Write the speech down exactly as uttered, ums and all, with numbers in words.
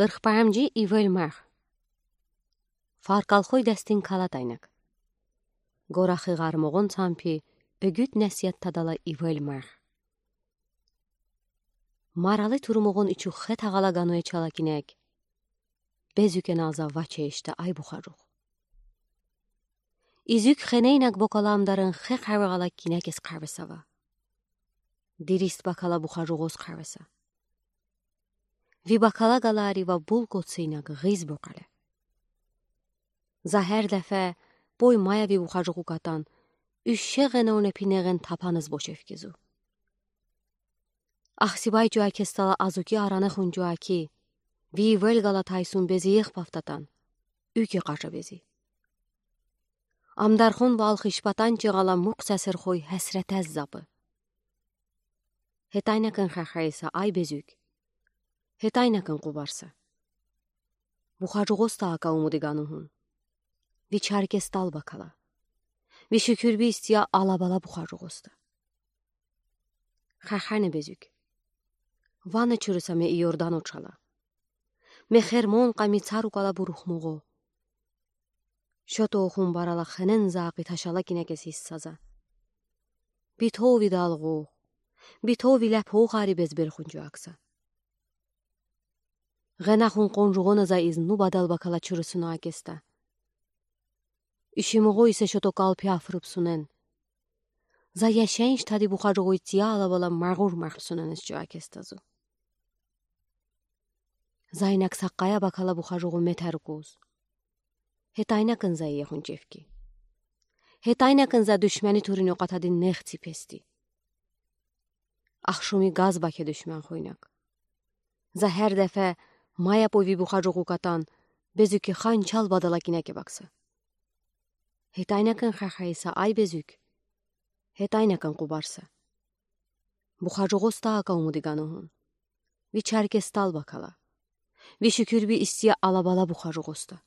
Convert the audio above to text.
Ырх паймджи. Ивел марх. Фаркалхой дестин кала тайнак. Горахы гъармоғон цампи, эгуд несият тадала ивел марх. Марали турмоғон ичух хе тағала гану ечала кинек. Безук еналза ваче ишта ай бухажуғ. Изук хенейнак бокаламдарин хе хавгала кинекес хавсава. Дирист бакала бухажуғоз хавса. Ви бакала галари ва булкоцинак гиз бокале. За гер дефе пой мая ви бухажуғу катан, уьш шегъен оне пинегъен тапаныз бошев кизу. Ахсибай чуакестала азуки аране хунчуаки, ви ивел гала тайсун безиех пафтатан, уьке къажа бези. Амдархон валхиш патанчи гала мукъ сесер хой хесретез запы. Хетайнакын хахайса ай безук. Хетайнакын къубарса. Бухажуғоста ака умуди гану хун. Ви чаркестал бакала. Ви шукюрби истия алабала бухажуғоста. Хахане безук. Вана чурыса ме Иордан очала. Ме Хермон къами царукала бурухмоғо. Шото хун барала хенен зақи ташала кинекес иссаза. Битови далғу. Битови лепо хари безбел хунчуакса. Гъена хун къонжуғона за изну бадал бакала чурысуна акеста. Ишимоғо исе шото калпи афрыбсунен. За яшенш тади бухажуғой тия алабала мағур махпсунен исчуакестазу. Зайнак саққая бакала бухажуғу метер куз. Хетайнакын зайе хунчевки. Хетайнакын за душмени турин оқатади нехци пести. Ахшуми газ баке душман хойнак. За гер дефе мая пой ви бухажуғу катан, безуки ханчал бадала кинеке бакса. Хетайнакын хахайса ай безук. Хетайнакын къубарса. Бухажуғоста ака умуди гану хун. Ви чаркестал бакала. Ви шукюрби истия алабала бухажуғоста.